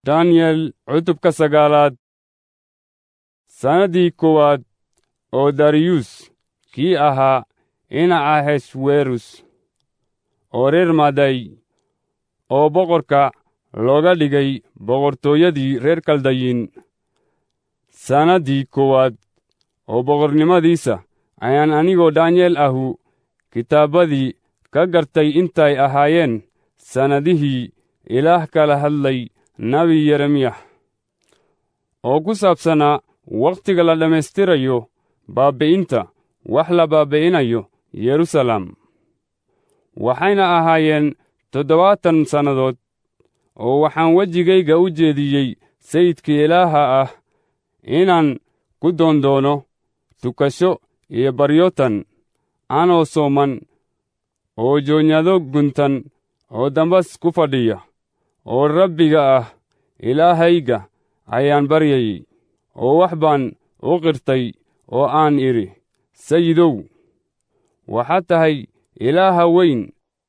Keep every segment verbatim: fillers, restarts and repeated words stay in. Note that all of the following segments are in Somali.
Daniel cutubka sagaalaad. Sannaddii koowaad oo Dariyus kii ahaa ina Ahashwerus oo reer Maday oo boqorka looga dhigay boqortooyadii reer Kaldayin, sannaddii koowaad oo boqornimadiisa ayaan anigoo Daniyel ahu kitaabbadii ka gartay intay ahaayeen sannadihii Ilaah kala hadlay nebi Yeremiyah oo ku saabsanaa wakhtiga la dhammaystirayo baabbi'inta wax la baabbi'inayo Yeruusaalem. Waxayna ahaayeen toddobaatan sannadood, oo waxaan wejigayga u jeediyey Sayidka Ilaaha ah inaan ku doondoono tukasho iyo baryotan, anoo sooman oo joonyado guntan oo dambas ku fadhiya, oo Rabbiga ah Ilaahayga ayaan baryayey, oo wax baan u qirtay oo aan idhi, Sayidow, waxaad tahay Ilaaha weyn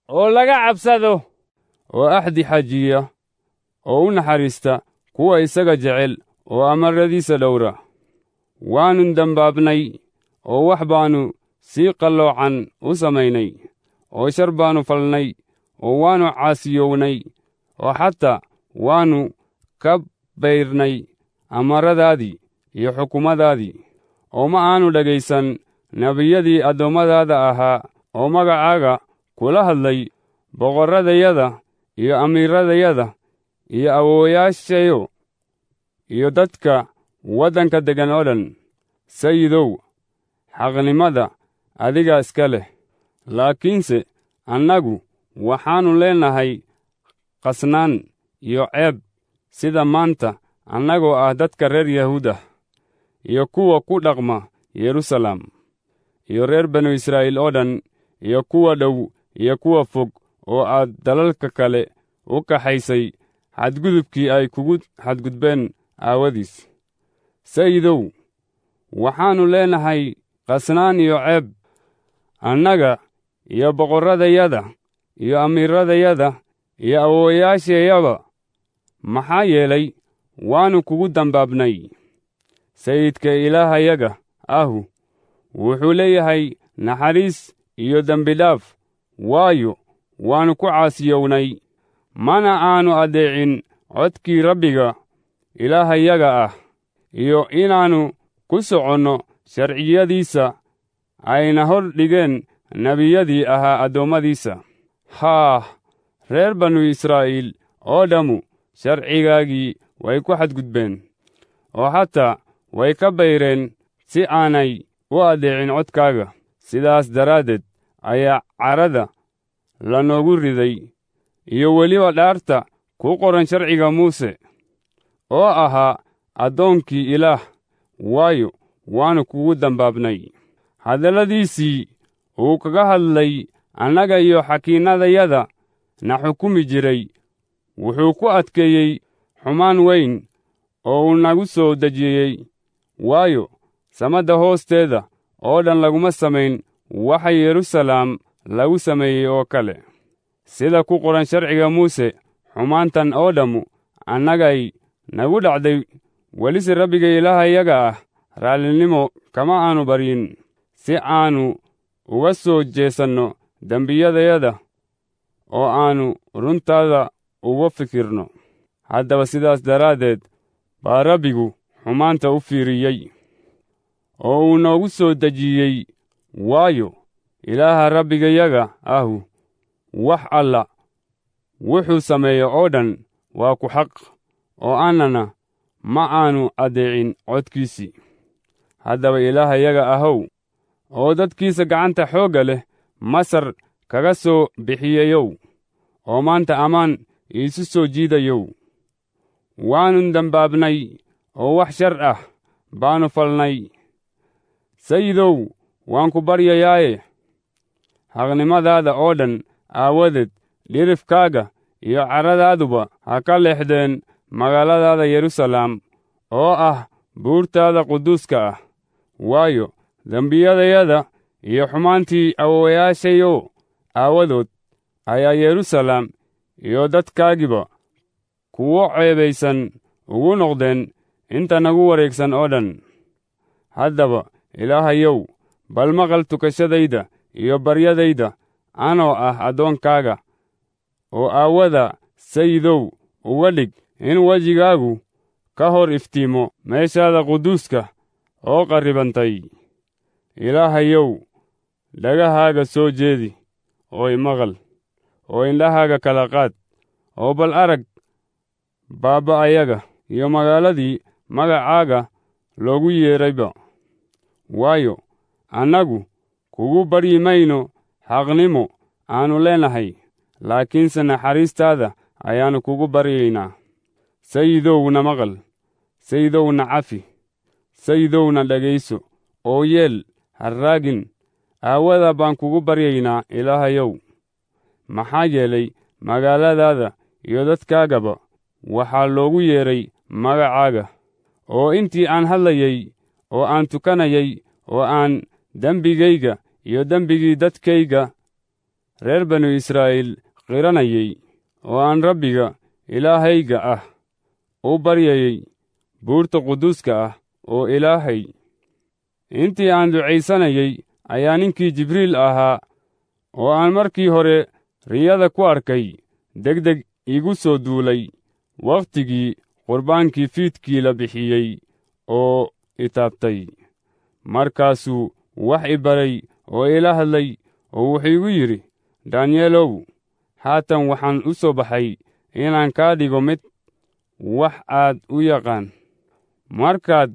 oo laga cabsado, oo axdi xajiya oo u naxariista kuwa isaga jecel oo amaradiisa dhowra. Waannu dembaabnay oo wax baannu si qalloocan u samaynay, oo shar baannu falnay, oo waannu caasiyownay, oo xataa waannu ka bayrnay amaradaadii iyo xukummadaadii, oo ma aannu dhegaysan nebiyadii addoommadaada ahaa oo magacaaga kula hadlay boqorradayada iyo amiiradayada iyo awoowayaashayo iyo dadka waddanka deggan oo dhan. Sayidow, xaqnimada adigaa iska leh, laakiinse annagu waxaannu leenahay qasnaan iyo ceeb sida maanta, annagoo ah dadka reer Yahuudah iyo kuwa ku dhaqma Yeruusaalem iyo reer banu Israa'iil oo dhan, iyo kuwa dhow iyo kuwa fog oo aad dalalka kale u kaxaysay xadgudubkii ay kugu xadgudbeen aawadiis. Sayidow, waxaannu leenahay qasnaan iyo ceeb, annaga iyo boqorradayada iyo amiiradayada iyo awoowayaashayaba, maxaa yeelay waannu kugu dembaabnay. Sayidka Ilaahayaga ahu wuxuu leeyahay naxariis iyo dembidhaaf, waayo, waannu ku caasiyownay, mana aannu addeecin codkii Rabbiga Ilaahayaga ah, iyo inaannu ku soconno sharciyadiisa ayna hor dhigeen nebiyadii ahaa addoommadiisa. Haah, reer banu Israa'iil oo dhammu sharcigaagii way ku xadgudbeen, oo xataa way ka bayreen si aanay u addeecin codkaaga. Sidaas daraaddeed ayaa carada lanoogu riday, iyo weliba dhaarta ku qoran sharciga Muuse oo ahaa addoonkii Ilaah, waayo, waannu kugu dembaabnay. Hadalladiisii uu kaga hadlay annaga iyo xakiinnadayada na xukumi jiray wuxuu ku adkeeyey xumaan weyn oo uu nagu soo dejiyey, waayo, samadda hoosteeda oo dhan laguma samayn waxa Yeruusaalem lagu sameeyey oo kale. Sida ku qoran sharciga Muuse, xumaantan oo dhammu annagay nagu dhacday, welise Rabbiga Ilaahayaga ah raallinimo kama aanu baryin si aannu uga soo jeesanno dembiyadayada oo aannu runtaada uga fikirno. Haddaba sidaas daraaddeed baa Rabbigu xumaanta u fiiriyey oo uu noogu soo dejiyey, waayo, Ilaaha Rabbigayaga ahu wax alla wuxuu sameeyo oo dhan waa ku xaq, oo annana ma aannu addeecin codkiisii. Haddaba Ilaahayaga ahow, oo dadkiisa gacanta xoogga leh Masar kaga soo bixiyeyow, oo maanta ammaan iisu soo jiidayow, waannu dembaabnay oo wax shar ah baannu falnay. Sayidow, waan ku baryayaaye, xaqnimadaada oo dhan aawadeed dhirifkaaga iyo carradaaduba ha ka leexdeen magaaladaada Yeruusaalem oo ah buurtaada quduuska ah, waayo, dembiyadayada iyo xumaantii awowayaashayo aawadood ayaa Yeruusaalem iyo dadkaagiiba kuwo ceebaysan ugu noqdeen inta nagu wareegsan oo dhan. Haddaba Ilaahayow, bal maqal tukashadayda iyo baryadayda anoo ah addoonkaaga, oo aawada Sayidow uga dhig in wejigaagu ka hor iftiimo meeshaada quduuska oo qarribantay. Ilaahayow, dhagahaaga soo jeedi oo imaqal, oo indhahaaga kala qaad, oo bal arag baaba'ayaga iyo magaaladii magacaaga loogu yeedrayba. Waayo, annagu kugu baryi mayno xaqnimo aannu leenahay, laakiinse naxariistaada ayaannu kugu baryaynaa. Sayidowna maqal, Sayidowna cafi, Sayidowna dhegayso, oo yeel ha raagin. Aawada baan kugu baryaynaa, Ilaahayow, maxaa yeelay magaaladaada iyo dadkaagaba waxaa loogu yeedhay magacaaga. Oo intii aan hadlayay oo aan tukanayay oo aan dembigayga iyo dembigii dadkayga reer banu Israa'iil qiranayay, oo aan Rabbiga Ilaahayga ah u baryayay buurta quduuska ah oo Ilaahay, intii aan ducaysanayay ayaa ninkii Jibriil ahaa oo aan markii hore riyada ku arkay degdeg igu soo duulay wakhtigii qurbaankii fiidkii la bixiyey oo i taabtay. Markaasuu wax i baray oo ila hadlay, oo wuxuu igu yidhi, Daanyeelow, haatan waxaan u soo baxay inaan kaa dhigo mid wax aad u yaqaan. Markaad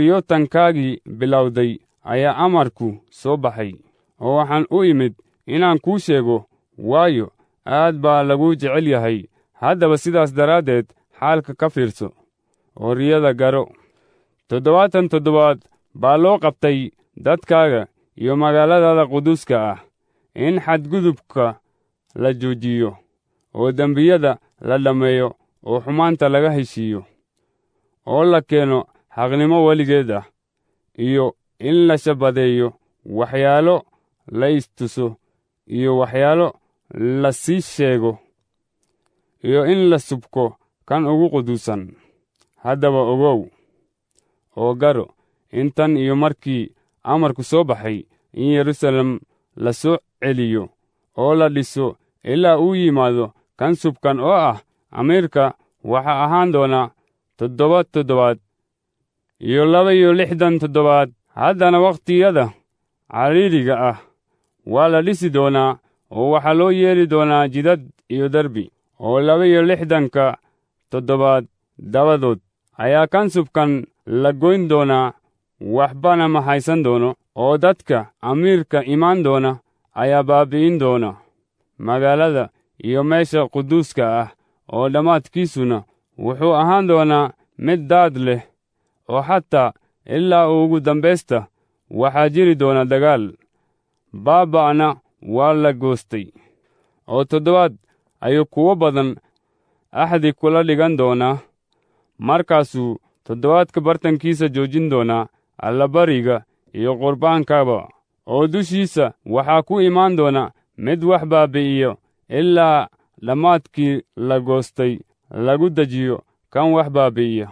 baryootankaagii bilowday ayaa amarku soo baxay, oo waxaan u imid inaan kuu sheego, waayo, aad baa laguu jecel yahay. Haddaba sidaas daraaddeed xaalka ka fiirso oo riyada garo. Toddobaatan toddobaad baa loo qabtay dadkaaga iyo magaaladaada quduuska ah in xadgudubka la joojiyo, oo dembiyada la dhammeeyo, oo xumaanta laga heshiiyo, oo la keeno xaqnimo weligeed ah, iyo in la shabadeeyo waxyaalo la istuso iyo waxyaalo la sii sheego, iyo in la subko kan ugu quduusan. Haddaba ogow oo garo in tan iyo markii amarku soo baxay in Yeruusaalem la soo celiyo oo la dhiso ilaa uu yimaado kan subkan oo ah amiirka, waxaa ahaan doona toddoba toddobaad iyo laba iyo lixdan toddobaad. Haddana wakhtiyada cariiriga ah waa la dhisi doonaa, oo waxaa loo yeeli doonaa jidad iyo derbi, oo laba iyo lixdanka toddobaad dabadood ayaa kan subkan la goyn doonaa, waxbana ma haysan doono, oo dadka amiirka imaan doona ayaa baabbi'in doona magaalada iyo meesha quduuska ah, oo dhammaadkiisuna wuxuu ahaan doonaa mid daad leh, oo xataa ilaa ugu dambaysta waxaa jiri doona dagaal, baaba'na waa la goostay. Oo toddobaad ayuu kuwo badan axdi kula dhigan doonaa, markaasuu toddobaadka bartankiisa joojin doonaa allabariga iyo qurbaankaba, oo dushiisa waxaa ku imaan doona mid wax baabbi'iyo ilaa dhammaadkii la goostay lagu dejiyo kan wax baabbi'iya.